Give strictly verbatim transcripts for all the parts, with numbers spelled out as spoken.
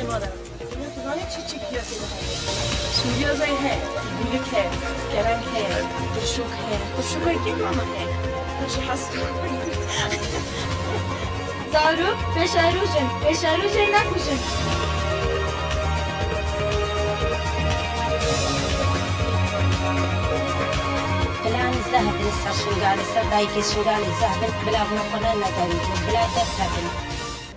Dizanî çi çi piyasê de heye? Sûriyazay heye, guluk heye, kerem heye, qurşok heye. Qurşoka kî mama heye? Ji hesp. Zarok, pêşerojin, pêşerojê nekujin. Planî zehf in, ser şingalê, ser dayikê şingalê zehf in, bila vuna xwe ne neterîtin, bila derkevin.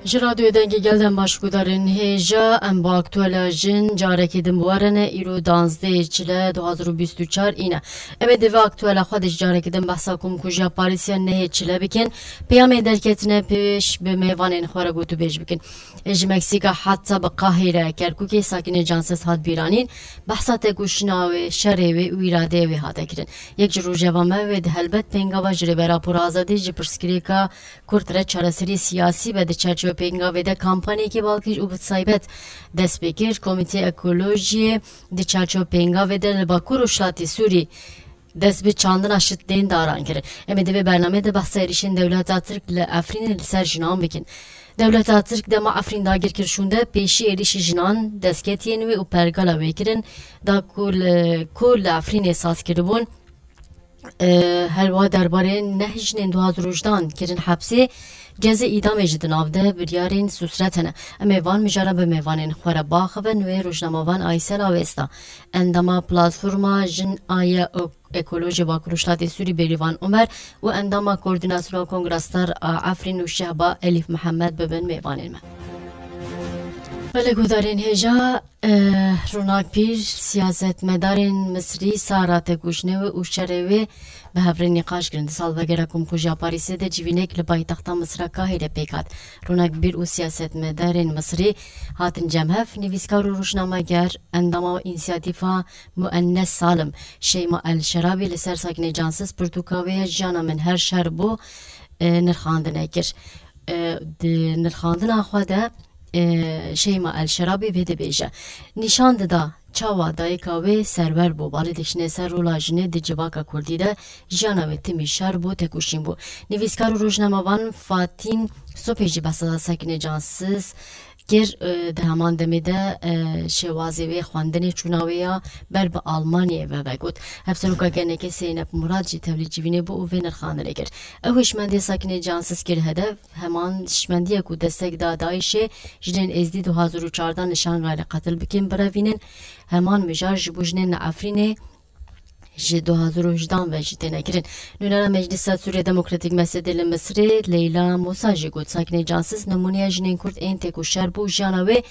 Ji Radyoyê Dengê Gel dem baş gudarên hêja, em bo aktuela jin carekî din bi we re ne, îro danzdehê çile du hazar û bîst û çar îne. Em ê di vê aktuela xwe de ji carekî din behsa komkujiya Parîsiya nehê çile bikin. Peyamê derketine pêş bi mêvanên xwe re gotûbêj bikin. Ê ji Meksîka heta bi Qahîre, Kerkûkê Sakînê Cansiz hat bîranîn, behsa têkoşîna wê, şerê wê û îradeyê wê hate kirin. Yek ji rojeva me wê di helbet pêngava ji Rêbera Pûr Azadî ji pirsgirêka Kurd re çareserî siyasî be, di çerçewe pêngavê de kampanyekî balkêş û bi taybet dest pê kir. Komîtê Ekolojiyê di çerçewe pêngavê de li Bakur Rojhilatê Sûrî dest bi çandina şitên daran kirin. Em ê di vê bernameyê de behsa êrîşên dewleta Tirk li Efrînê li ser jinan bikin. Dewleta Tirk dema Efrîn dagir kir şûnde, pêşî êrîşî jinan, destkeftiyên wê û pergala wê kirin, da ku li, ku li Efrînê saz kiribûn. E, her wa derbarê neh jinên du hazar û hejdan kirin hepsê, cezê îdamê jî di nav de biryarên sûsret hene. Em ê van mijara bi mêvanên xwe re biaxivin, wê rojnamevan Aysel Avesta, endama Platforma Jin a ye Ekolojê Bakur Rojhilatê Sûrî Bêrîvan Omer û endama Koordînasyona Kongra Star a Efrîn û Şehba Elîf Mihemed bibin mêvanên me. Belê guhdarên hêja, eh, Ronak Pîr, siyasetmedarên Misrî sara têkoşînê wê û şerê wê bi hev re nîqaş kirin. Di salvegera komkujiya Parîsê de civînek li paytexta Misra Kahîre pêk hat. Ronak Pîr û siyasetmedarên Misrî hatin cem hev, nivîskar û rojnameger, endama Însiyatîfa Muennes Salim, Şeyma El Şerabî li ser Sakîne Cansiz pirtûka wê ya Jiyana Min Her Şer Bû, e, nirxandine kir. E, di nirxandina xwe de, e, Şeyma El Şerabî vê dibêje, nîşan dida çawa dayika wê Serwer bû, balê dişîne ser rola jinê di civaka kurdî de, jiyana wê timî şer bû, têkoşîn bû. Nivîskar û rojnamevan Fatîn Sopê jî behsa Sakîne Cansiz kir, e, di heman demê de, e, şêwazê wê xwendinê çûna wê ya ber bi Almanyayê ve vegot. Hevseroka G N K'ê Zeynep Murad jî tevlî civînê bû û vê nirxandinê kir. Ew hişmendê Sakînê Cansiz kir hedef, heman hişmendiyê ku destek da DAIŞ'ê, jinên Êzdî du hazar û çardan li Şangalê qetil bikin, birevînin, heman mijar ji bo jinên li Efrînê ji du hazar û hejdan ve jî têne kirin. Nûnera Meclisa Sûriya Demokratîk MSD'ê li Misirê Leyla Musa jî got, Sakînê Cansiz nimûneya jinên Kurd ên têkoşer bû û jiyana wê,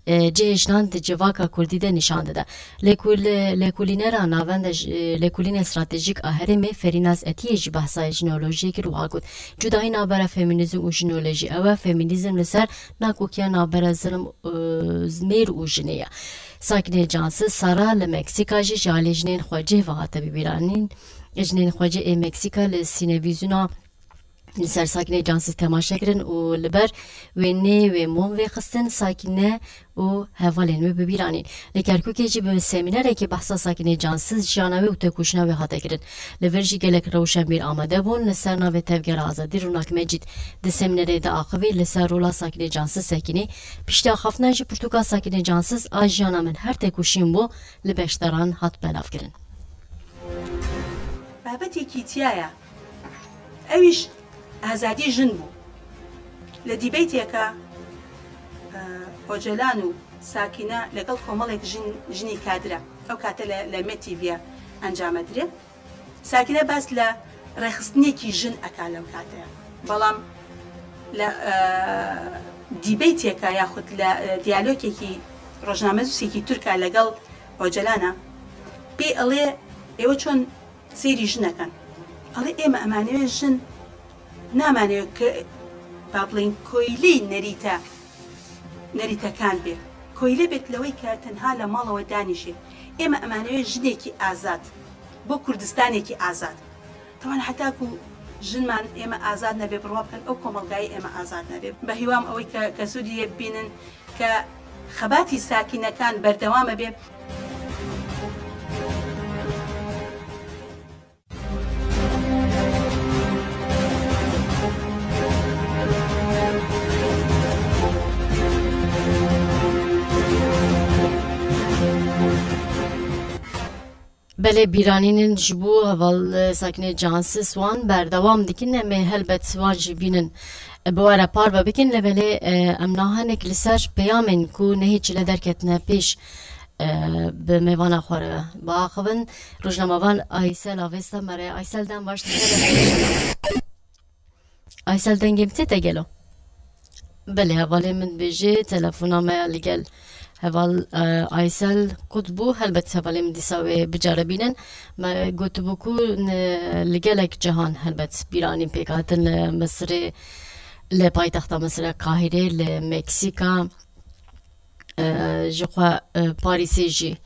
e, cihê jinan di civaka Kurdî de nîşan dide. Lêkul-, lêkolînera navenda ji, e, lêkolînê stratejîk a herêmê Ferînaz Etiyê jî behsa jineolojiyê kir û wiha got, cudahî navbera femînîzm û jineolojî ew e, femînîzm li ser nakokiya navbera zilm, e, mêr û jinê ye. Sakînê Cansiz Sara li Meksîka jî ji alî jinên xwecih ve hate bibîranîn. Jinên xwecih ê Meksîka li sînevîzyona li ser Sakînê Cansiz temaşe kirin û li ber wêneyê wê mom vê xistin, Sakîne û hevalên wê bibîranîn. Li Kerkûkê jî bi semînerekê behsa Sakînê Cansiz, jiyana wê û têkoşîna wê hate kirin. Li vir jî gelek rewşenbîr amade bûn, li ser navê Tevgera Azadî Ronak Mecîd di semînerê de axivî li ser rola Sakînê Cansiz sekînî. Piştî axaftina jî pirtûka Sakînê Cansiz a Jiyana Min Her Têkoşîn Bû li beşdaran hat belavkirin. Babetekî tiya ye. Ewîş azadî jin bû. Li dîbeyteke, e, Ocalan û Sakîne legal komelek jin, jinî kadre. Ew kate le, le Me T V'ye encame dire. Sakîne bas le rêxistinekî jin eka lew kate. Belam le, e, dîbeyteke yaxud le, e, diyalogekî rojnamenusekî Tirk e legal Ocalan e. Pê elê êwe çon sêrî jinekan. Elê ême emanê wê jin namanê wê ke, ba bilên koylî nerîte, nerîtekan bê. Koyle bêt lewê ke tenha le mala wê danîşê. Ême emanê wê jinekî azad. Bo Kurdistanekî azad. Teban heta ku jinman ême azad nebe, bi rwa bikin ew komelgayê ême azad nebe. Be hîwam ew e ke, ke Sûriyê bibînin ke xebatî sakînekan berdewame bê. Belê bîranînin ji bo heval, e, Sakîne Cansiz wan berdewam dikin, em ê helbet wan jî bînin, e, bi we re parve bikin, lê belê, e, em nahinek li ser peyamên ku nehê çile derketine pêş, e, bi mêvana xwe re biaxivin. Rojnamevan Aysel Avesta me re. Aysel, dem baş dike. Aysel, dengê min tê te gelo? Belê, hevalê min dibêje, telefona me ya li gel heval, e, Aysel qut bû. Helbet hevalê min dîsa wê biceribînin. Me gotibû ku ne, li gelek cihan helbet bîranîn pêk hatin, li Misirê, li paytexta Misirê Qahîrê, li Meksîka, e, ji xwe, e, Parîsê jî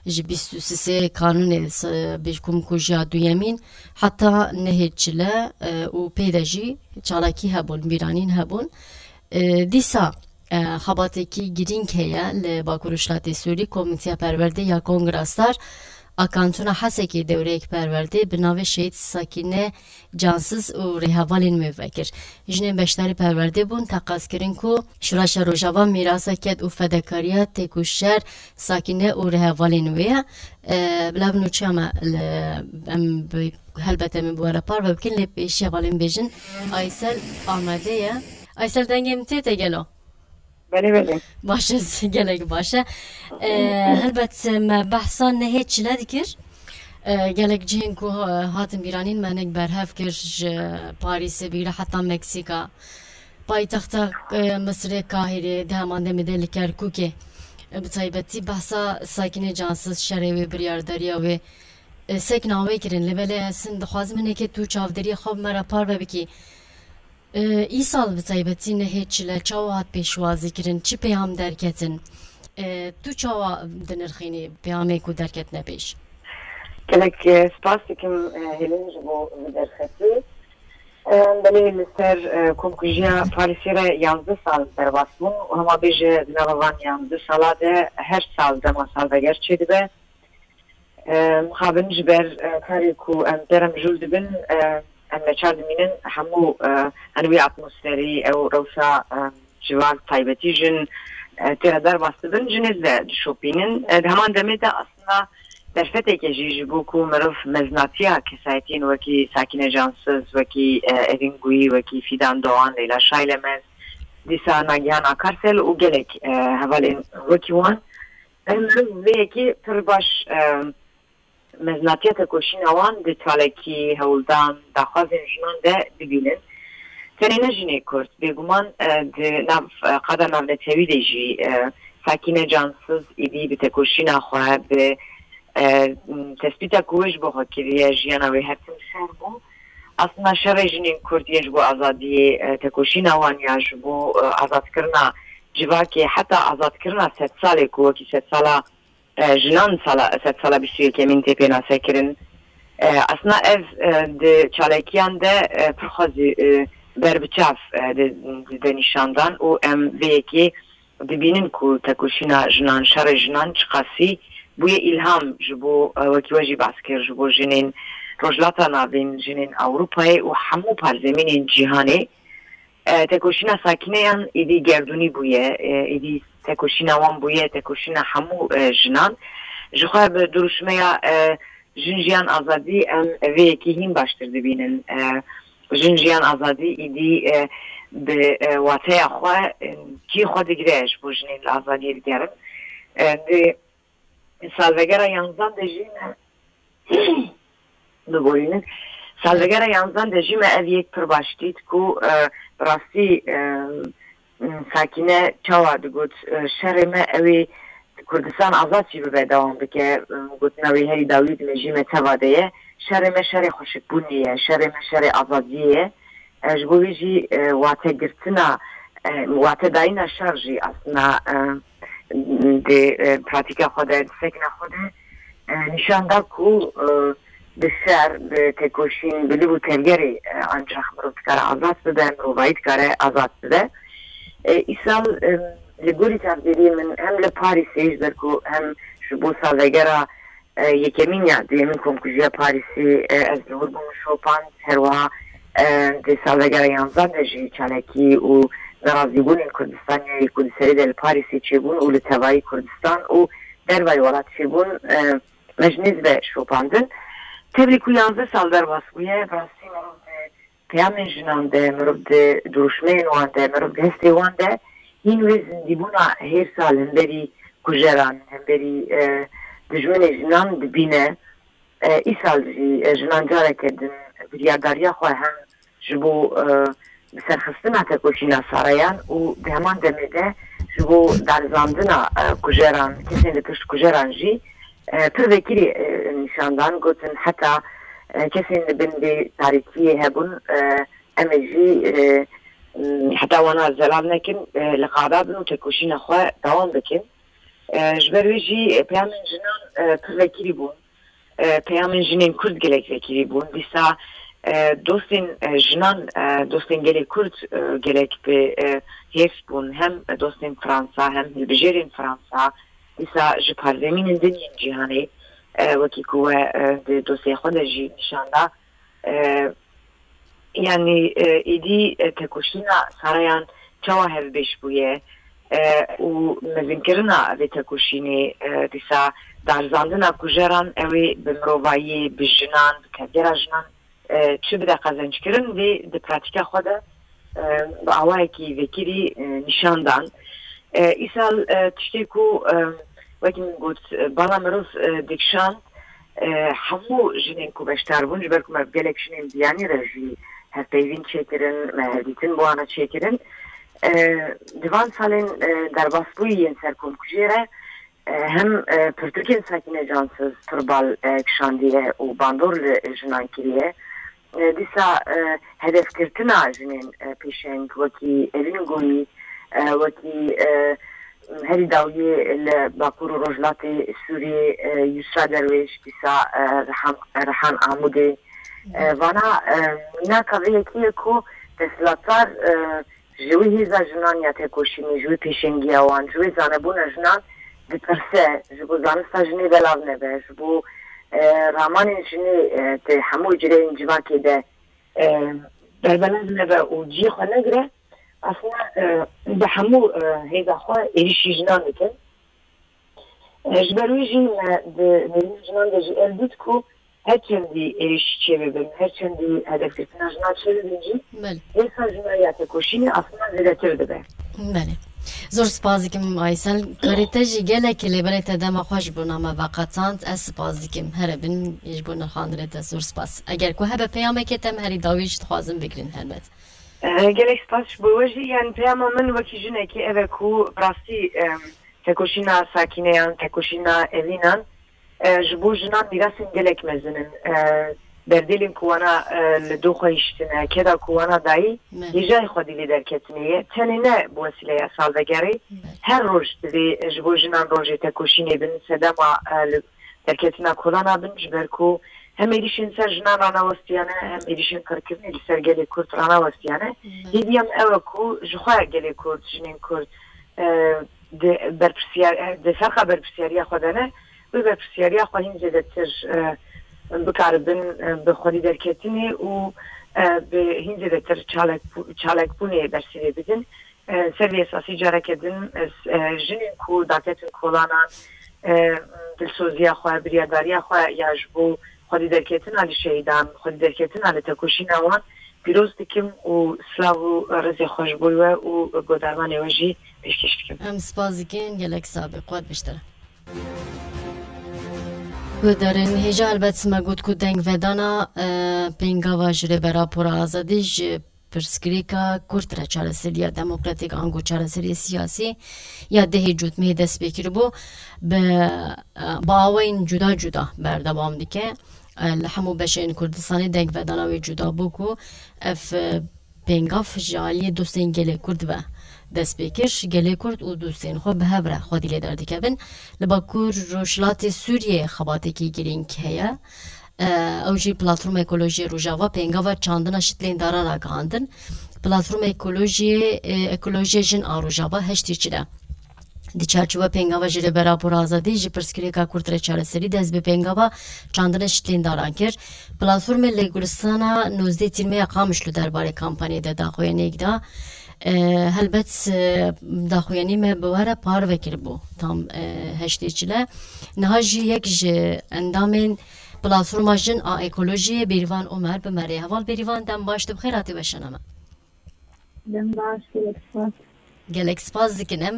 ji bîst û sisê kanûnê s-, bêjkom ku jiya duyemîn heta nehê çile, e, û pê de jî çalakî hebûn, bîranîn hebûn. E, dîsa, e, xebatekî girîng heye li Bakur Rojhilatê Sûrî, Komîteya Perwerdê ya Kongra Star a Kantona Hesekê dewreyek perwerdê bi navê Şehîd Sakîne Cansiz û rêhevalên wê vekir. Jinên beşdarî perwerdê bûn, teqaz kirin ku Şuraşa Rojava mîrasa ked û fedakariya têkoşer Sakîne û rêhevalên wê ye. E, bila bi nûçeya me li, em bi, helbet em ê bi we re parve bikin, lê pêşî hevalên bêjin Aysel amade ye. Aysel, dengê min tê te gelo? Belê, belê. Baş e, gelek baş e. E, helbet me behsa nehê çile dikir. E, gelek cihên ku, e, hatin bîranîn me nek berhev kir ji Parîsê bigire heta Meksîka. Paytexta, e, Misirê Kahîrê di heman demê de li Kerkûkê. E, bi taybetî behsa Sakîne Cansiz, şerê wê, biryardariya wê, e, sekna wê kirin. Lê belê ez hin dixwazim hinekê tu çavdêriyê xwe bi me re parve bikî. E, îsal bi taybetî nehê çile çawa hat pêşwazî kirin, çi peyam derketin? E, tu çawa dinirxînî peyamê ku derketine pêş? Gelek, e, spas dikim, e, Hêlîn, ji bo vê derfetê. E, belê, li ser, e, komkujiya Parîsê re yanzdeh sal derbas bûn û hema bêje di nava van yanzdeh sala de her sal dema salveger çêdibe. E, mixabin ji ber, e, karê ku em te re mijûl dibin, e, em neçar dimînin hemû, e, hani wê atmosferî, ew rewşa, e, civak, taybetî jin, e, tê re derbas dibin, jinê de dişopînin. E, di heman demê de aslında derfeteke jî ji bo ku mirov meznatiya kesayetiyên wekî Sakîne Cansiz, wekî, e, Evîn Guyî, wekî Fîdan Doğan, Leyla Şaylemez, dîsa Nagihan Akarsel û gelek, e, hevalên wekî wan, em mirov vê yekê pir baş, e, meznatiya tekoşîna wan di çalakî, hewldan, daxwazên jinan de bibînin. Tenê ne jinê Kurd, bêguman, e, di nav, e, qada navnetewî de jî, e, Sakîne Cansiz êdî bi tekoşîna xwe, bi, e, tespîta ku wê ji bo xwe kiriye, jiyana wê her tim şer bû. Aslında şerê jinên Kurd yên ji bo azadiyê, e, tekoşîna wan ya ji bo, e, azadkirina civakê, heta azadkirina sedsalê ku wekî sedsala e, jinan sala, sedsala bîst û yekemîn tê pênasekirin. E, aslında ev, e, di çalakiyan de, e, pir xwe zî, e, berbiçav, e, di, dide nîşandan û em vê yekê dibînin ku tekoşîna jinan, şerê jinan çiqasî bûye îlham ji bo, e, wekî we jî behs kir, ji bo jinên Rojhilata Navîn, jinên Ewropayê û hemû parzemînên cîhanê. E, tekoşîna Sakîneyan êdî gerdûnî bûye, e, êdî tekoşîna wan bûye, tekoşîna hemû, e, jinan. Ji xwe bi duruşmeya, e, Jin Jiyan Azadî em vê yekê hîn baştir dibînin. E, Jin Jiyan Azadî êdî, e, bi, e, wateya xwe, e, cihê xwe digire ji bo jinên li azadiyê digerin. E, di salvegera yanzan de jî me Biborînin. Salvegera yanzan de jî me ev yek pir baş dît ku, e, bi rastî, e, Sakîne çawa digot, e, şerê me ew ê Kurdistan azad jî bibe dewam bike. E, gotina wê herî dawî di mejî me teva de ye. Şerê me şerê xweşikbûnê ye, şerê me şerê azadiyê ye. E, ji bo vê jî, e, wategirtina, e, watedayîna şer jî aslında, e, di, e, pratîka xwe de, di sekna xwe de, e, nîşan da ku, e, bi şer, bi tekoşîn, bi liv û tevgerê, e, ancax mirov dikare azad bibe, mirovayî dikare azad bibe. E, îsal, e, li gorî çavdêriyê min hem li Parîsê, ji ber ku hem ji bo salvegera e, yekemîn ya duyemîn komkujiya Parîsê, e, ez li wir bûm şopand. Her wiha, e, di salvegera yanzan de jî çalakî û nerazîbûnên Kurdistaniyê ku di serê de li Parîsê çêbûn û li tevayî Kurdistan û dervayî welat çêbûn, e, mejnê dibe şopandin. Tevlî ku yanzdeh sal derbas bûye, bi rastî mirov di peyamên jinan de, mirov di duruşmeyên wan de, mirov di hestê wan de hîn wê zindîbûna hêrsa li hemberî kujeran, hemberî, e, dijminê jinan dibîne. E, îsal jî, e, jinan careke din biryardariya xwe hem ji bo, e, biserxistina tekoşîna Sarayan û di heman demê de ji bo darizandina, e, kujeran, kesên li pişt kujeran jî, e, pir vekirî, e, nîşan dan, gotin heta, e, kesên li bin vê tarîtiyê hebûn, e, em ê jî, e, m, heta wana zelal nekin, e, li qada bin û tekoşîna xwe dewam bikin. E, ji ber wê jî, e, peyamên jinan, e, pir vekirî bûn. E, peyamên jinên Kurd gelek vekirî bûn. Dîsa, e, dostên, e, jinan, e, dostên gelê Kurd, e, gelek bi, e, hêrs bûn. Hem dostên Fransa, hem hilbijêrên Fransa. Dîsa ji parzemînên din yên cîhanê, e, wekî ku we, e, di dosyê xwe de jî nîşan da, e, yanî, e, êdî, e, tekoşîna Sarayan çawa hevbêş bûye, e, û mezinkirina vê tekoşînê, e, dîsa darizandina kujeran, ew ê bi mirovayiyê, bi jinan, bi tevgera jinan, e, çi bide qezenckirin, vê di pratîka xwe de, e, bi awayekî vekirî, e, nîşan dan. E, îsal, e, tiştê ku, e, wekî min got, e, bala mirov, e, dikişand, e, hemû jinên ku beşdar bûn, ji ber ku me bi gelek jinên biyanî re jî hevpeyvîn çêkirin, me hevdîtin bi wana çêkirin. E, di van salên, e, derbasbûyî yên serkomkujiyê re, e, hem, e, pirtûkên Sakîne Cansiz pir bal, e, kişandiye û bandor li jinan kiriye. E, dîsa, e, hedefgirtina jinên, e, pêşeng wekî Evîn Goyî, e, wekî, e, herî dawiyê li Bakur û Rojhilatê Sûriyê, e, Yusra Derwêş, dîsa, e, Rihan, Rihan Amûdê. E, vana, e, mînaka vê yekê ye ku desthilatdar, e, ji wî hêza jinan ya tekoşînê, ji wî pêşengiya wan, ji wê zanebûna jinan dipirse, ji bo zanista jinê belav nebe, ji bo, e, ramanên jinê, e, di hemû cireyên civakê de, e, berbelav nebe û cihê xwe negire, aslında, e, bi hemû, e, hêza xwe êrîşî jinan dikin. E, ji ber wê jî me di nêrîna jinan de jî ev dît ku her çendî êrîş çêbibin, her çendî hedefgirtina jinan çêbibin jî, Belê. hêsa jinan ya tekoşînê aslında zêdetir dibe. Belê. Zor spas dikim Aysel. Karê te jî gelek lêberê te dema xwe ji bo me veqetand. Ez spas dikim. Here bin ji bo nirxandinê te zor spas. Eger ku hebe peyamekê te em herî dawî jî dixwazin bigirin helbet. E, gelek spas ji bo we jî. Yani peyama min wekî jinekê ev e ku bi rastî, em, tekoşîna Sakîneyan, tekoşîna Evînan, e, ji bo jinan mîrasên gelek mezin in. E, berdêlên ku wana, e, li doxa hiştine, keda ku wana dayî, Me. hêjayê xwedî lê derketinê ye. Tenê ne bi wesîleya salvegerê, Me. her roj divê ji bo jinan rojê tekoşînê bin, sedema, e, li derketina kolana bin, ji ber ku hem êrîşên ser jinan ranewestiyane, hem êrîşên qirkirinê li ser gelê Kurd ranewestiyane. Me. Hêviya min ew e ku ji xwe gelê Kurd, jinên Kurd, e, di berpirsiyar-, e, di ferqa berpirsiyariya xwe de ne, wê berpirsiyariya xwe hîn zêdetir, e, bikaribin, e, bi xwedî derketinê û, e, bi hîn zêdetir çalek-, çalakbûnê bersivê bidin. E, ser vê esasî careke din, e, s-, e, jinên ku daketin kolanan, e, dilsoziya xwe, biryardariya xwe ya ji bo xwedî derketina li şehîdan, xwedî derketina li tekoşîna wan pîroz dikim û silav û rêzê xwe ji bo we û guhdarvanê we jî pêşkêş dikim. Em spas dikin, gelek sax be, quwet biştire. Guhdarên hêja, helbet me got ku dengvedana, e, pêngava ji Rêbera Pûra Azadî ji pirsgirêka kurt re çareseriya demokratîk ango çareseriyê siyasî ya dehê Cotmehê dest pê kiribû, bi, e, bi awayên cuda cuda berdewam dike. E, li hemû beşên Kurdistanê dengvedana wê cuda bû ku ev, e, pêngav ji aliyê dostên gelê Kurd ve dest pê kir. Gelê Kurd û dostên xwe bi hev re xwedî lê derdikevin. Li Bakur Rojhilatê Sûriyê xebatekî girîng heye. E, ew jî Platforma Ekolojiyê Rojava pêngava çandina şitlên dara ragihandin. Platforma Ekolojiyê, e, Ekolojiya Jin a Rojava heştê çile di çarçoveya pêngava ji Rêbera Pûra Azadî ji pirsgirêka kurt re çareserî dest bi pêngava çandina şitlên daran kir. Platformê li Gulistana nozdeh Tîrmeya Qamişlo derbarê kampanyê de daxuyaniyek da. E, helbet, e, daxuyanî me bi we re parve kiribû tam, e, heştê çile. Niha jî yek ji endamên Platforma Jin a Ekolojiyê, Bêrîvan Omer, bi me re. Heval Bêrîvan, dem baş, tu bi xêr hatî weşana me. Dem baş, gelek spas. Gelek spas dikin em.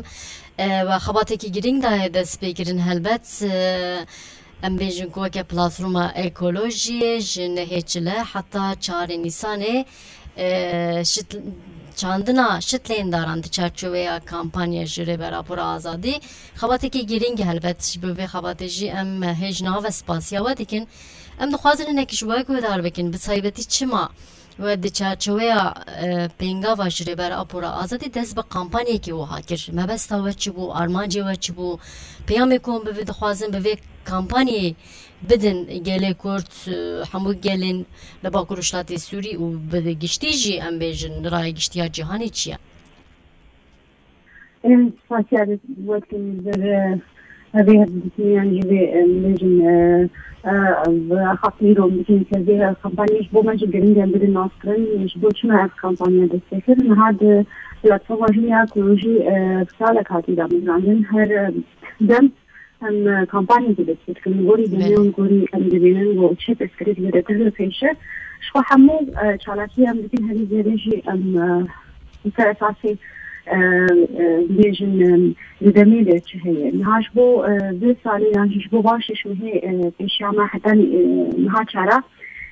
E, we xebatekî girîng daye destpêkirin helbet. E, em bêjin ku weke Platforma Ekolojiyê ji nehê çile heta çarê Nîsanê, e, şit-, çandina şitlêndaran di çarçoveya kampanya ji Rêber Apo re Azadî xebatekî girîng e helbet. Ji bo vê xebatê jî em hêj nave spasiya we dikin. Em dixwazin hinek ji we guhdar bikin, bi taybetî çima we di çarçoveya, e, pêngava ji Rêber Apo re Azadî dest bi kampanyekê wiha kir? Mebesta we çi bû? Armancê we çi bû? Peyamê ku em bi vê dixwazin bi vê kampanyê bidin gelê Kurd, e, hemû gelên li Bakur Rojhilatê Sûrî û bi giştî jî em bêjin raya giştî ya cîhanê çi ye? Em spasiya wek li vir, e, hevê hevdîtiniyan jî vê, em bêjin, e, e, bi axaftin dom bikin ser vê kampanyê ji bo me jî giring e bidin naskirin. Ji bo çima ev kampanya dest pê kir? Niha di platforma Jin ya Ekolojî, e, salek hatî damezrandin. Her, e, dem em, e, kampanyekê dest pê dikin. Gorî Belê. Dînê û gorî em dibînin û çi pirsgirêk zêdetir li pêş e. Ji xwe hemû, e, çalakî em dikin, herî zêde jî em, e, li ser esasê, e, e, bêjin, e, di demê de çi heye. Niha ji bo, e, vê salê yan jî ji bo van şeş mehê, e, pêşiya me heta, e, niha çara,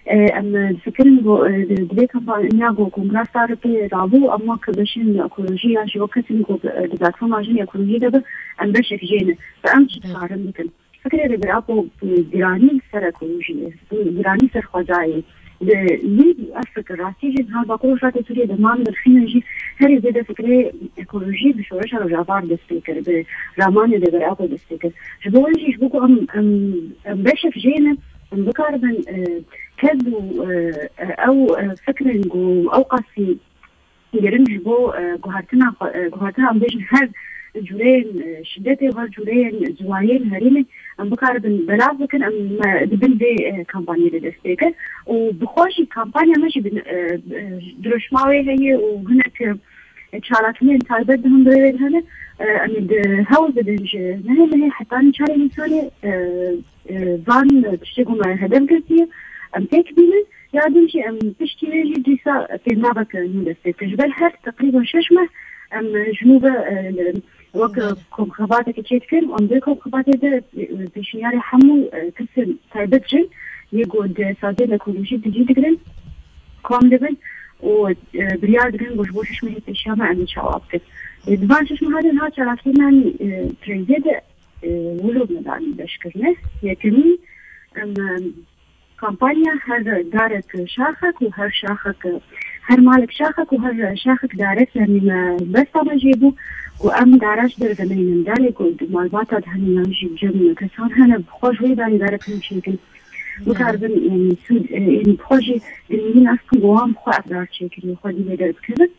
e, em difikirin ku, e, di, di vê kampanya ku kongra star pê rabû, em wek beşên ekolojî yan jî wek kesên ku, e, di platforma Jin Ekolojî de bin, em beşek jê ne. Bi em çi Evet. dikarin bikin? Fikrê Rêber Apo, e, giranî ser ekolojiyê, e, giranî ser xwezayê. Li wî ev fikir rastî jî niha Bakur Rojhilatê Sûriyê de man dirxînin jî herî zêde fikrê ekolojî bi şoreşa Rojava dest pê kir, bi ramanê Rêber Apo dest pê kir. Ji bo wê jî ji bo ku em, em, em beşek jê ne, em bikaribin, e, ked û, e, e, ew, e, fikrên ku ew qasî giring ji bo, e, guhertina xwe, e, guhertina em bêjin her cûreyên, e, şidetê, her cûreyên ciwayên herêmê em bikaribin belav bikin, em, e, di bin vê, e, kampanyê de dest pê kir. Û bi xwe jî kampanya me jî bi, e, e, dirûşma wê heye û hinek, e, çalakiyên taybet di hundirê wê de hene. E, em ê di hewl bidin ji nehê mehê hetanî çarê Nîsanê, e, e, van tiştê ku me hedef girtiye, em têk bînin. Ya din jî em piştî wê jî dîsa pêngaveke nû dest pê kir. Ji ber her teqrîben şeş meh em ji nû ve, e, wek Belê. komxebateke çêdikin. Em vê komxebatê de, e, pêşniyarê hemû, e, kesên taybet jin yê ku di saziyên ekolojîk de cî digirin kom dibin û, e, biryar digirin ku ji bo şeş mehê pêşiya me em ê çawa bikin. E, di van şeş meha de niha çalakiyên me, e, trêzê de, e, wilo me danî beşkirine. Yekemî, em, e, Kampanya her darek şaxek û her şaxek, her malek şaxek û her şaxek darek, yanî me besta me jê bû ku em dara ji derve neynin. Darê ku di malbata de hene yan jî cem kesan hene, bi xwe ji wê darê darek hûn çêkin. Bikaribin, yanî sûd, e, yanî bi xwe jî girîngî nas bikin ku wan bi xwe ev dar çêkiriye, xwe dî lê derbikevin.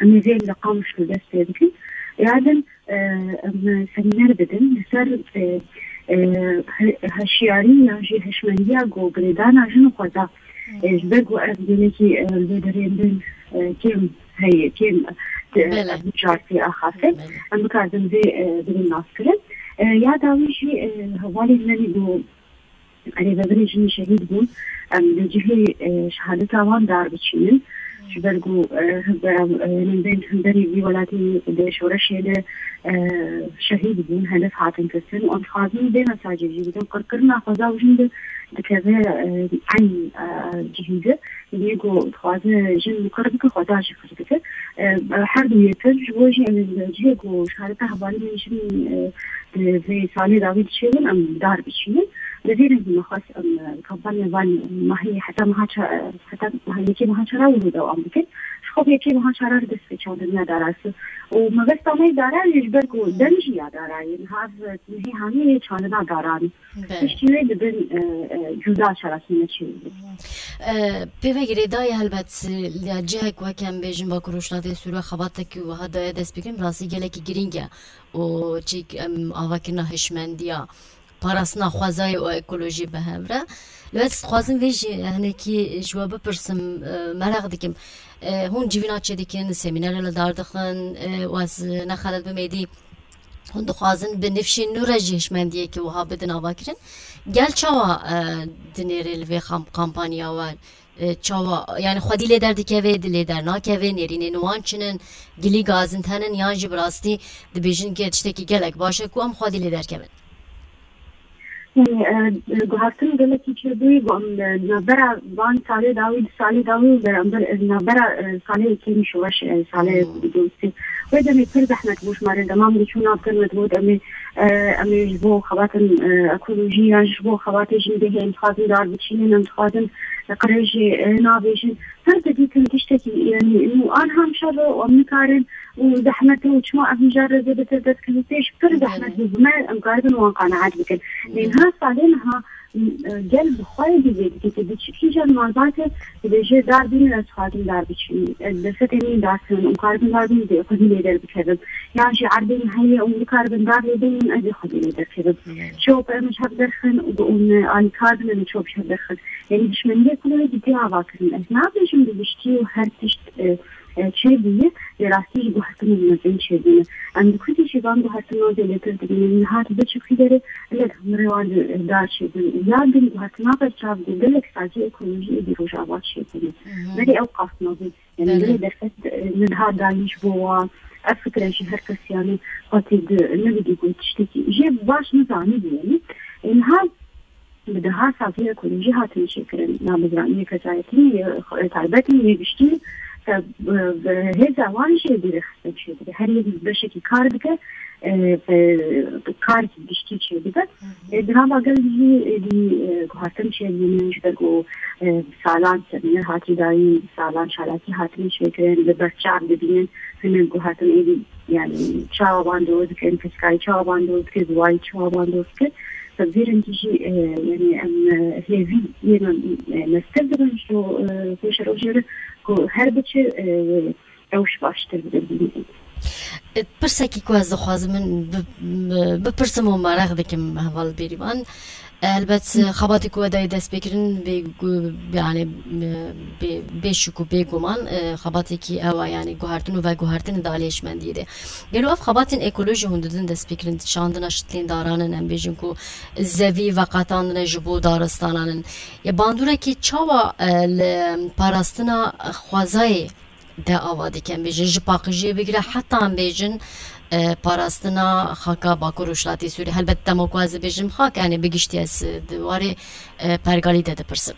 Em ê vê li Qamişlo dest pê bikin. Ya din, e, em semîner bidin li ser, e, e, he-, heşiyarî yan jî hişmendiya ku girêdana jin û xweza, e, ji ber ku ev gelekî, e, li vê derê din, e, kêm heye, kêm, e, Belê. ev mijar tê axaftin. Belê. Em bikaribin vê, e, bidin naskirin. E, ya dawî jî, e, hevalên me ku Rêveberê jinî şehîd bûn. Em li cihê, e, şehadeta wan dar biçînin. Ji ber ku, e, hevbera, e, nêzên hevberê vî welatî di şoreşê de, e, şehîd bûn, hedef hatin girtin. Em dixwazin vê mesajê jî bidin. Qirkirina xweza û jin de dikeve, e, eyn, e, cihî de. Yê ku dixwaze jin qir bike, xweza jî qir dike. E, her du yê pir ji bo jî em ê li cihê ku şehadeta hevalên me jin, e, di vê salê dawî diçêbin, em dar biçînin. Bi vî rengî me xwest em, e, kampanya van mehê heta meha ça-, heta meha yekê meha çara wilo dewam bikin. Ji xwe bi yekê meha çara re dest pê çandiniya dara dike. Û mebesta me yê dara ye ji ber ku dem jî ya dara ye. Niha ev mehê hanê yê çandina daran e. Belê. Piştî wê dibin, e, e, cuda çalakî me çê bibin. E, pê ve girêdayî helbet, ya cihek weke em bêjin Bakur Rojhilatê Sûrê xebatekî wiha daye dest pê kirin, bi rastî gelekî girîng e. Û çîk em avakirina hişmendiya parastina xwezayê û ekolojî bi hev re. Li we dixwazim vê jî hinekî ji we bipirsim, e, meraq dikim. E, hûn civîna çêdikin, semînerê li dar dixin, e, û ez nexelet bim êdî hûn dixwazin bi nifşên nû re jî hişmendiyekî wiha bidin avakirin. Gel çawa, e, dinêrê li vê xam-, kampanya we? E, çawa, yani xwedî lê derdikeve, di lê dernakeve, nêrînên wan çi ne, gilî gazin tune ne, yan jî bi rastî dibêjin ke tiştekî gelek baş e ku em xwedî lê derkevin? Yani, e, e, guhertin gelekî çêbûyî, got, em, e, navbera van salê dawî, di salê dawî û beramber, e, navbera, e, salê yekemî şoreş, e, salê Hmm. dosî. Wê demê pir zehmet bû ji me re, demam diçûn navkir me digot, em ê, e, em ê ji bo xebatên, e, ekolojî yan ji bo xebatê jîndehê em dixwazin dar biçînin, em dixwazin qirêjê, e, navêjin. Her didîtin tiştekî, yani, û an hem şer e, û em nikarin, û zehmet e, û çima ev mijar re zêdetir dest kevin pêş, pir Belê. zehmet bû bi me, em karibin wan qenaet bikin. Belê. Lê niha salê niha, e, gel bi xwe yê dizê dike, tu diçî kîjan malbatê, dibêje dar bînin, ez dixwazim dar biçînim. Ez derfetê min dar kirin, em karibin dar bînin, dê xwedî lê derbikevim. Yan jî erdê min heye, em bikaribin dar lê bînin, ez ê xwedî lê derkevim. Belê. Çop em ji hev derxin, û, û alîkar bin, em çop ji hev derxin. Yani, dişmeniyê ku lê cidî ava kirin. Ez nabêjim bi giştî û her tişt, e, e, çêbûye, lê rastî jî guhertinên mezin çêbûne. Em di ku jî van guhertinan zêdetir dibînin. Niha tu biçî xwîderê, gelek hunerê wan li dar çêbûn. Ya din guhertina berçav bû, gelek saziyê ekolojî êdî Rojava çêbûne. Mhm. Belê ew qas mezin. Yani, Belê. belê derfet, e, niha dayîn ji bo wan. Ev fikre jî her kes, yani, xwetî di, nebidî ku tiştekî jê baş nizanî bû, yani. E, niha bi deha saziyê ekolojî hatine çêkirin. Na bi ziraniyê kezayetî, yê, e, taybetî, yê giştî, e, bi, bi hêza wan jî dîrê xistin çêdike. Her yek beşekî kar dike, e, e, karekî giştî çêdike. Hı hı. E, di nava gel jî, e, dî, e, guhertin çêdibînin, ji ber ku, e, bi salan semîner hatî dayîn, bi salan çalakî hatine çêkirin, li ber çav dibînin, hinek guhertin êdî, yani, çawa wan dor dikin, pirsgirêkî çawa wan dor dike, ziwayî çawa wan dor dike. Bi vî rengî jî, e, yani, em, e, hêvî yên em, e, meztir dibin ji, e, pêşerojê re ku her biçe, e, rewş baştir bibe bînin. E, pirsekî ku ez dixwazim min bi-, bi-, bipirsim û meraq dikim heval Bêrîvan. E, helbet, e, xebatê ku we dayê destpêkirin bê gu-, yani, e, bê, bê şik û bê guman, e, xebatekî ew e, yani guhertin û veguhertin di aliyê hişmendiyê de. Gelo ev xebatên ekolojî hûn didin destpêkirin, şandina şitlên daran in, em bêjin ku zevî veqetandine ji bo daristanan in. Ya bandûrekî çawa, e, li parastina xwezayê de ava dikin, bêjin ji paqijiyê bigire heta em bêjin, e, parastina xaka Bakur Rojhilatê Sûriyê. Helbet dema ku ez dibêjim xak, yani bi giştî ez di warê, e, pergalî de dipirsim.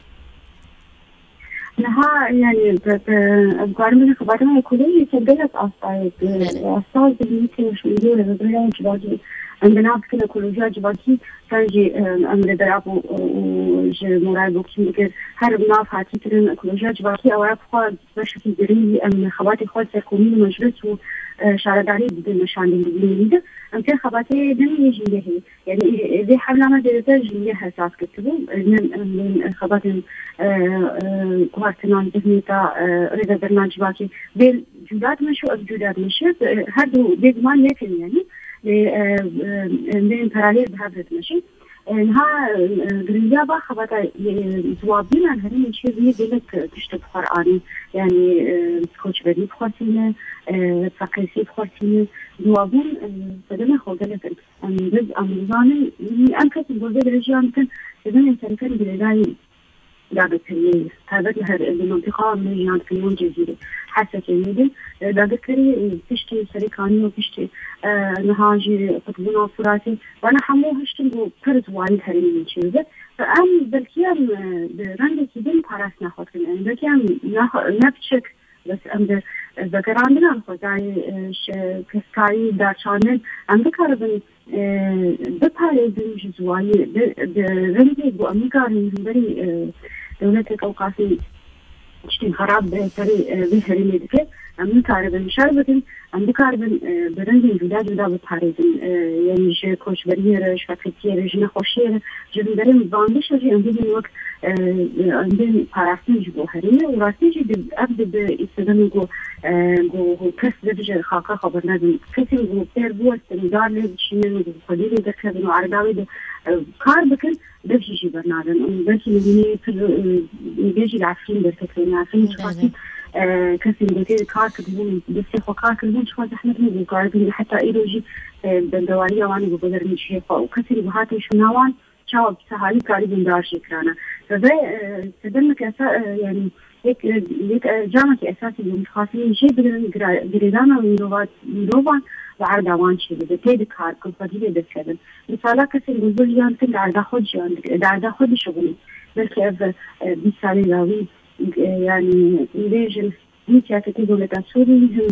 Niha, yani, bi, bi, ez guherîm bêjim xebatên ekolojî gelek astayê, bi, Belê. bi asta zihniyetê û şûndiyo re bi birayên civakî, em bi nav dikin ekolojiya civakî, sen jî, e, em rêbera bû, û, û ji Moray Bokî dikir, her nav hatî kirin, ekolojiya civakî ew ya bi xwe beşekî girîng em xebatê xwe ser komîn û meclis û, e, şaredarî didin, meşandin didin. Em pê xebatê din yê jîngehê. Yani, e, vê hevla me zêdetir jîngeh esas girtibû. E, ne, e, xebatên, e, e, guhertinan, zihniyeta, e, rêvebirina civakî bê cuda dimeşe û ev cuda dimeşe. E, her du bêguman yekin yani. Lê, e, e, e, bên paralel bi hev re dimeşin. E, niha, e, girîngiya va xebata, e, ziwabîna herêmên çêbûyî gelek, e, tişt bi xwe re anî. Yanî, e, koçberî bi xwe tîne, e, feqîrî bi xwe tîne. Ziwabûn, e, sedema xwe gelek in. Em biz, em dizanin, em kesên ku vê derê jiyan dikin, sedemên sereke li girêdayî dagirkeriyê ye. Taybet li her, li mintiqa me jiyan dikin, yan Cezîrê, Hesekê, nêdin, e, dagirkerî, e, piştî Serê Kanî û piştî, e, niha jî qutbûna Furatê, wana hemû hiştin ku pir ziwayî li herêmê çêdibe. Em belkî em, e, bi rengekî din parastina xwe dikin. Em belkî em ne, ne piçek, bes em bi, e, vegerandinan xwezayê, e, şi-, pirsgirêkî, darçandin, em bikaribin, e, biparêzin ji ziwayî, bi, bi rengê ku em nikarin hemberî, e, dewletek ew qasî tiştên xerab bi serê, e, vê herêmê dike, em nikaribin şer bikin, em bikaribin, e, bi rengên cuda cuda biparêzin. E, yanî ji koçberiyê re, ji feqîrtiyê re, ji nexweşiyê re, ji hunderên bandişa jî em bibin wek, e, em bên parastin ji bo herêmê û rastî jî di, ev di bi îstidemê ku, e, ku, ku kes bibije xaka xwe bernedin. Kesên ku pêr biwestin û dar lê biçînin û xwedî lê derkevin û erda wê de e, kar bikin, beşî jî bernadin. Û belkî li hînê pir, e, bêjî li Efrîn derketibûn. Efrîn çiqasî, e, kesên ku tê kar kiribûn, destê xwe kar kiribûn, çiqa zehmet nebû karibûn. Heta îro jî, e, bendewariya wan ê biguherin cihê xwe. Û kesên ku hate şûna wan, çawa bi sehalî karîbûn dar jê kirana. Ve, e, sedemeke esa-, e, yani, yek, e, yek, e, camekî esasî bû, dixwastin jê bigirin, gira-, girêdana mirova-, mirovan li erda wan çêbibe, tê di kar, ku xwedî lê dest kevin. Misala kesên ku zû jiyan dikin, di erda xwe jiyan dikin, di erda xwe dişixulin. Belkî ev, e, bîst salên dawî, e, yani, bêjin, him siyasetê dewleta Sûrî, him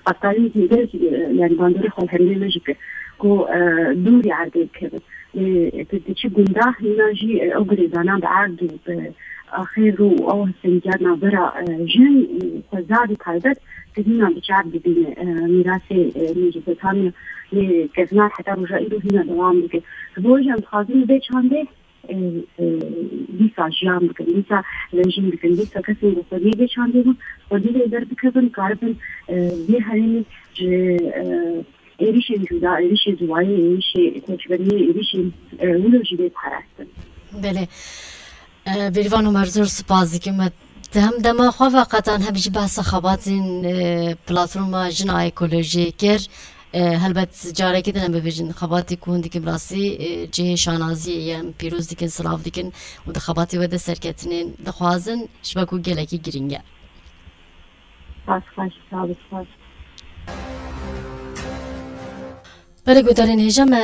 qeptalîzmê gelek, e, yani bandorê xwe li hemdê me jî kir ku, e, dûrî erdê bikevin. Lê tu diçî gunda hîna jî, e, ew girêdana bi erd û bi axê rû û ew hevsengiyat navbera, e, jin û xwezar û taybet tu hîna bi çav dibîne. E, mîrasê, e, Mezopotamya lê kevnar heta roja îro hîna dewam dike. Ji bo wê jî em dixwazin vê çandê e, e, dîsa jiyan bikin, dîsa rejîm bikin, dîsa kesên ku xwediyê vê çandê bûn, xwedî lê derdikevin, karibin, e, vê herêmê ji, e, êrîşên cuda, êrîşê ziwayê, êrîşê koçberiyê, êrîşên, e, wilo jî lê parastin. Belê. E, Bêrîvan Omer, zor spas dikim. Me di hem dema xwe ve qetan hem jî behsa xebatên, e, platforma Jina Ekolojiyê kir. E, helbet carekî din em bibêjin, xebatê ku hûn dikin bi rastî, e, cihê şanaziyê ye, em pîroz dikin, silav dikin û di xebatê we de serketinên dixwazin, ji ber ku gelekî girîng e. Spas, xweş, sağ ol, spas. Belê guhdarên hêja me,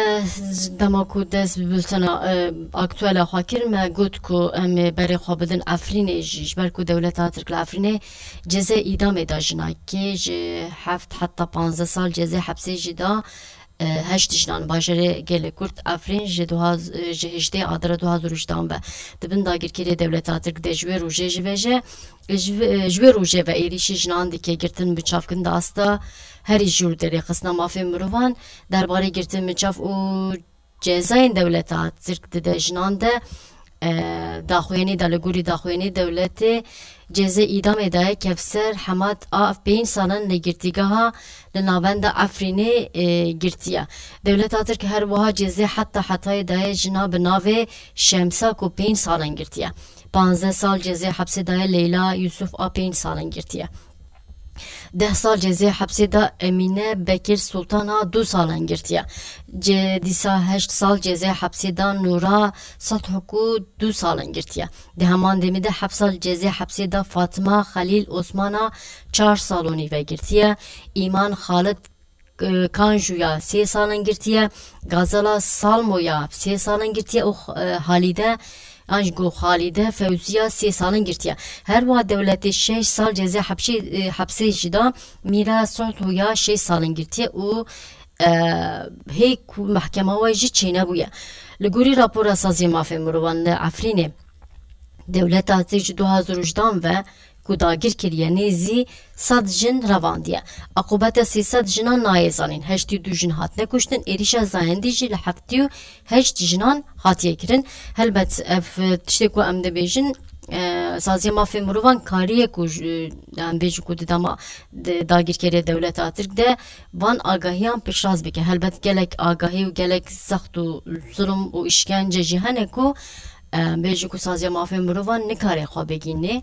dema ku dest bi bultena, e, aktuela xwe kir, me got ku em ê berê xwe bidin Efrînê jî, ji ber ku dewleta Tirk li Efrînê cezê îdamê da jinakê, ji heft heta panzdeh sal cezê hepsê jî da, e, heşt jinan bajarê gelê Kurd Efrîn ji duha-, ji hejdê Adara du hazar û hejdehan ve di bin dagirkeriyê dewleta Tirk de ji wê rojê jî ve jî, ji vê, ji wê rojê ve êrîşî jinan dike, girtin, biçavkirin di asta herî jûr de rêxistina mafê mirovan derbarê girtin, biçav û cezayên dewleta Tirk dide jinan de, e, daxuyanî de, li gorî daxuyanî dewletê cezê îdamê daye Kevser Hemad a pênc salan li girtîgeha li navenda Efrînê, e, girtiye. Dewleta Tirk her wiha cezê heta hetayê daye jina bi navê Şemsa ku pênc salan girtiye. Panzdeh sal cezê hepsê daye Leyla Yusuf a pênc salan girtiye. Deh sal cezê hepsê da Emîne Bekir Sultan a du salan girtiye. Ce-, dîsa heşt sal cezê hepsê da Nûra Sathok û du salan girtiye. Di heman demê de heft sal cezê hepsê da Fatima Xelîl Osman a çar sal û nîve girtiye. Îman Xalid, e, Kanjû ya sê salan girtiye. Gazala Salmo ya sê salan girtiye û, e, Halîde An ji ku Xalîde Fewziya sê salin girtiye. Her wiha dewletê şeş sal cezê hepşê-, e, hepsê jî da Mîra Sohto ya şeş salin girtiye û, e, hê ku mehkema we jî çênebûye. Li gorî rapora Saziyê Mafê Mirovan li Efrînê, dewleta Tirk ji du hazar û hejdehan ve ku dagir kiriye, nêzî sed jin revandiye. Aqûbeta sê sed jinan nayê zanîn. Heştê û du jin hatine kuştin, êrîşa zayendî jî li heftê û heşt jinan hatiye kirin. Helbet ev tiştê ku em dibêjin, e, Saziya Mafê Mirovan kariye ku ji, em bêjin ku di dema di dagirkeriya dewleta Tirk de van agahiyan piştrast bike. Helbet gelek agahî û gelek zext û zulm û îşkence jî hene ku, e, em bêjin ku Saziya Mafê Mirovan nikare xwe bigihîne.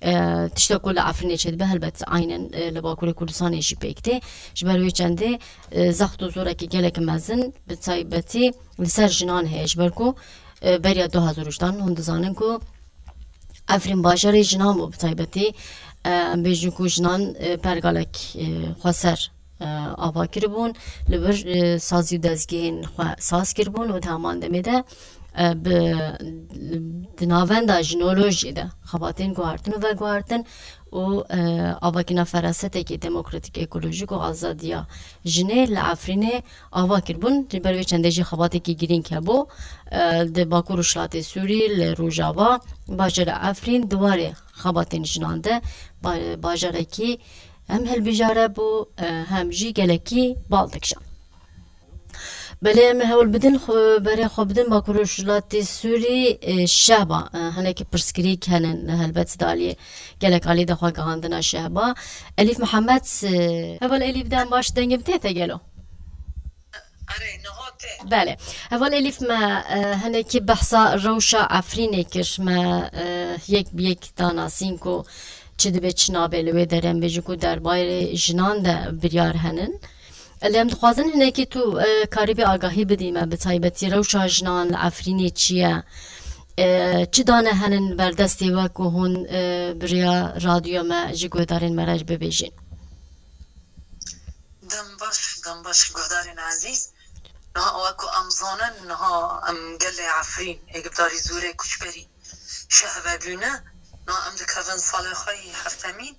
E, tişta ku li Efrînê çêdibe, helbet aynen, e, li Bakurê Kurdistanê jî pêk tê. Ji ber wê çendê, e, zext û zorekî gelek mezin, bi taybetî li ser jinan heye. Ji ber ku, e, beriya du hazar û hejdehan hûn dizanin ku Efrîn bajarê jinan bû, bi taybetî, e, em bêjin ku jinan, e, pergalek, e, xweser, e, ava kiribûn, li vir, e, sazî û dezgehên xwe saz kiribûn û di heman demê de, e, bi, di navenda jinolojiyê de xebatên guhartin û veguhartin û, e, avakîna ferasetekî demokratîk, ekolojîk û azadiya jinê li Efrînê ava kiribûn. Ji ber vê çendê jî xebatekî girîng hebû. E, di Bakur Rojhilatê Sûrî, li Rojava, bajarê Efrîn, di warê xebatên jinan de ba-, bajarekî hem hilbijare bû, e, hem jî gelekî bal dikişand. Belê, em ê hewl bidin xwe, berê xwe bidin Bakur Rojhilatê Sûrî, e, Şehba, e, hinekî pirsgirêk hene helbet di aliyê gelek alî de xwe gihandina Şehba. Elîf Mihemed, e, heval Elîf, dem baş, dengê min tê te gelo? Erê, niha tê. Belê. Heval Elîf, me, e, hinekî behsa rewşa Efrînê kir. Me, e, yek bi yek da nasîn ku çi dibe, çi nabe li wê derê, em bêjin ku derbarê jinan de biryar henin. Lê em dixwazin hinekî tu, e, karîbî agahî bidî me, bi taybetî rewşa jinan li Efrînê çi ye? E, çi dane henin berdestê we ku hûn, e, bi rêya radyoya me ji guhdarên me re jî bibêjin? Dem baş, dem baş guhdarên ezîz. Niha wek ku em zanin, niha em gelê Efrîn, ê guhdarî zûrê koçberî şehve bûne. Niha em dikevin salê xwe yî heftemîn,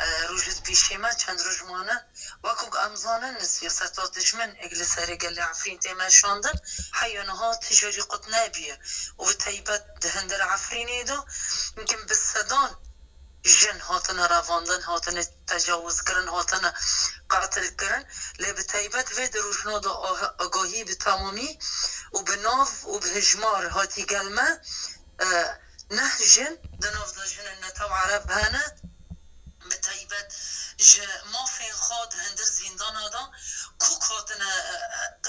e, roj û pêşê me çend roj mane. Wek ku em zanin, siyaseta dijmin ê li serê gelê Efrîn tê meşandin, heya niha tijarî qut nebûye û bi taybet di hundir Efrînê de, yimkin bi sedan jin hatine revandin, hatine tecawizkirin, hatine qetilkirin. Lê bi taybet vê di rojna de ah-, agahî bi temamî û bi nav û bi hijmar hatî gel me. E, neh jin di nav de jinên netew Ereb hene. Bi taybet ji mafên xwe di hundir zîndana de kûk hatine, e,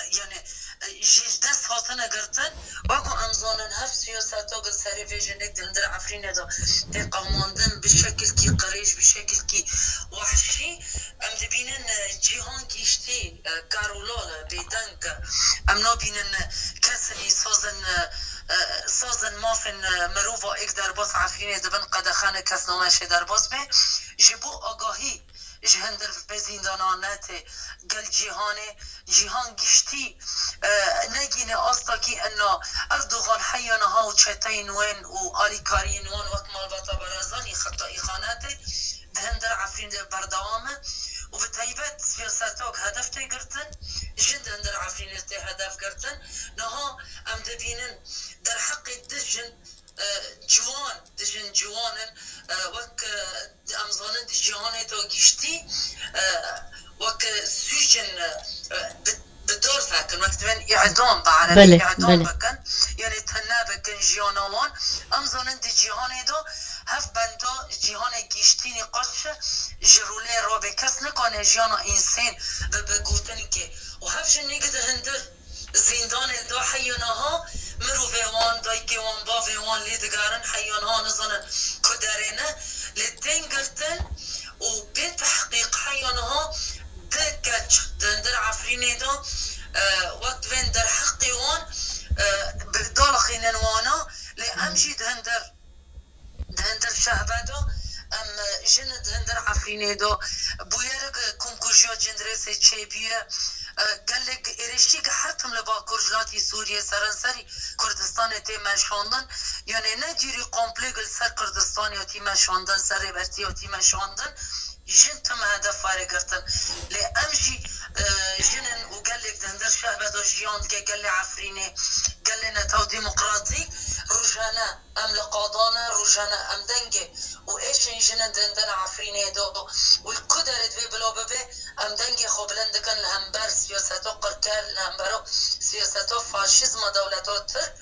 e, yani, e, ji dest hatine girtin. Wek ku em zanin, hev siyaseta ku serê vê jinek di hundir Efrînê de tê qewimandin bi şekilkî qirêj, bi şekilkî wehşî, em dibînin, e, cîhan giştî, e, kar û lal e, bêdeng e. Em nabînin, e, kesên î sazin, e, e, sazin mafên, e, mirova êk derbas Efrînê dibin, qedexe ne kes name şê derbas be. Ji bo agahî ji hundir vê zîndana netê gel cîhanê, cîhan giştî, e, negîne asta kî inna Erdogan heya niha û çeteyên wen û alîkariyên wan wek malbata Barazanî xeta îxanetê di hundir Efrîn de berdewam e û bi taybet siyasetok hedef tê girtin, jin di hundir Efrînê tê hedef girtin. Niha em dibînin derheqê du jin, e, ciwan, du jin ciwan in, e, wek, e, em zanin di cîhanê de giştî, e, wek, e, sûcin, e, bi, bi dor vekin, wek divên îdam bi erebî Belê, îdam belê. bikin, yanê tune bikin jiyana wan. Em zanin di cîhanê de hev benda cîhanê giştî nîqaş ji rûlê rabe. Kes nikane jiyana însên bi, bi gotinkê û hev jin nî di hundir zîndanê de heya niha mirovê wan, dayikê wan, bavê wan lê digerin, heya niha nizanin ku derê ne, lê tên girtin û bê tehqîq heya niha du keç di hundir Efrînê de, e, wek divên derheqê wan, e, bi dalaxînin wana, lê em jî di hundir di hundir şehbe de, em, e, jin di hundir Efrînê de bûyerik, e, komkujiya Cindirêsê çêbûye. E, gelek êrişî ki her tim li Bakur Jilatî Sûriyê seranserî Kurdistanê tê meşandin. Yanê ne cîrî komplê li ser Kurdistanê tî meşandin, ser Rêbertiya tî meşandin. Jin tim hedef were girtin. Lê em jî, e, jin in û gelek di hundir şehbe de jiyan dike, gelê Efrînê, gelê netew demokratîk, rojane Em li qadan e, rojane em dengê û êşên jin in di hundir Efrînê de û li ku derê divê bila bibe, em dengê xwe bilind dikin li hember siyaseta qirker, li hembera siyaseta faşîzma dewleta Tirk.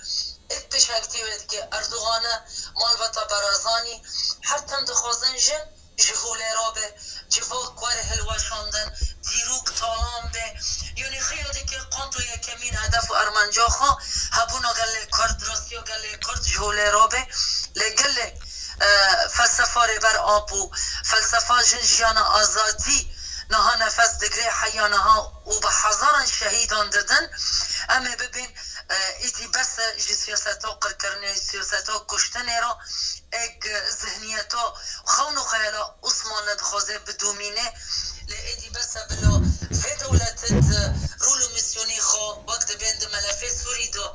Êk pêşengtî wê dike Erdogan e, malbata Barazanî, her tim dixwazin jin ji holê rabe, civak were hilweşandin, dîrok talan be. Yanî xeya dike qanto yekemîn hedef û armanca xwe hebûna gelê Kurd, rastiya gelê Kurd ji holê rabe. Lê gelê, e, felsefa Rêber Apo, felsefa jin, jiyana, azadî niha nefes digre heya niha û bi hezaran şehîdan didin. Em ê bibên, e, îdî bes e ji siyaseta qirkirinê, siyaseta kuştinê re. Êk zihniyeta xewn û xeyala Osmanli dixwaze bidomîne, lê êdî bes e bila vê dewlete di rol û mîsyonê xwe wek dibên di melefê Sûrî de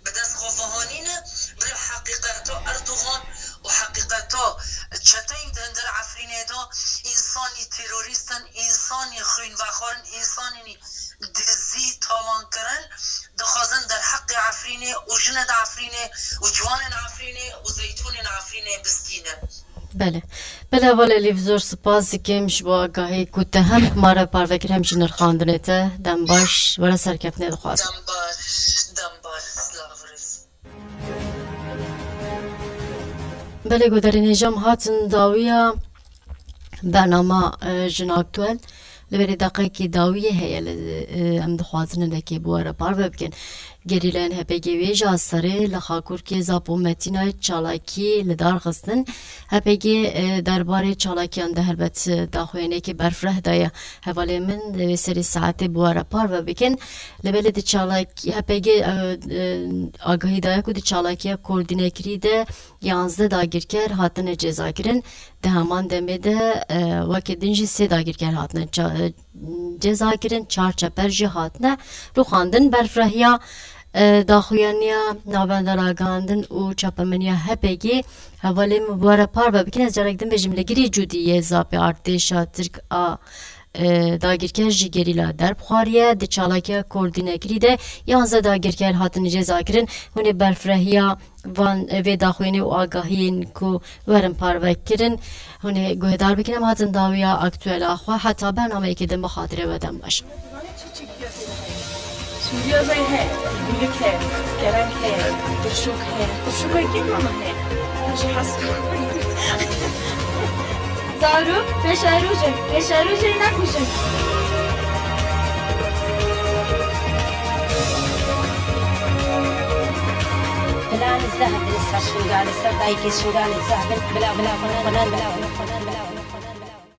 bi dest xwe vehanîne, bila heqîqeta Erdogan û heqîqeta çeteyên di hundir Efrînê de însanî terorîst in, însanî xwînvexwar in, însanî dizî, talankirin, dixwazin derheqê Efrînê û jinên Efrînê û ciwanên Efrînê û zeytûnên Efrînê bistînin. Belê. Belê, heval Elîf, zor spas dikim ji bo agahî ku te hem ma re parve kir, hem jî nirxandinê te. Dem baş, were serkeftinê dixwazim. Dem baş, dem baş, silav rêz. Belê, guhdarên hêja, em hatin dawiya bernama, e, Jin Aktuel. Li berê deqekî dawiyê heye li, e, em dixwazin hinekê bi we re parve bikin. Gerîlayên H P G wê jî a serê li Xakurkê Zap û Metîna çalakî li dar xistin. H P G, e, derbarê çalakiyan de helbet, e, daxuyaniyekê berfireh daye. Hevalê min, e, wê serê saetê bi we re parve bikin. Li belê di çalakî, H P G, e, e, agahî daye ku di çalakiya koordînekirî de yanzdeh dagirker hatine cezakirin. Di heman demê de, e, weke din jî sê dagirker hatine ça-, e, cezakirin, çar çeper jî hatine rûxandin. Berfrehiya, e, daxuyaniya Navenda Ragihandin û Çapemeniya H P G hevalê min bi we re parve bikin. Ez carek din bêjim, li girî cûdî yê zapê artêşa Tirk a, e, dagirker ji gerîla derbixwariye. Di çalakiya koordînekirî de yanzdeh dagirker hatin cezakirin. Hûn ê berfrehiya van, e, vê daxuyanî û agahiyên ku werin parve kirin, hûn ê guhdar bikin. Em hatin dawiya aktuela xwe. Heta bernameyekê din bi xatirê we dem baş. Sûriya zey heye, guluk heye, kerem heye, turşûk heye. Turşûka kî mama heye? Ji hez Zarok, pêşerojin, pêşerojê nekujin. Bila li zehf bin, ser şingalê, ser dayikê şingalê zehf bin. Bila, bila, bila, bila, bila, bila, bila, bila, bila.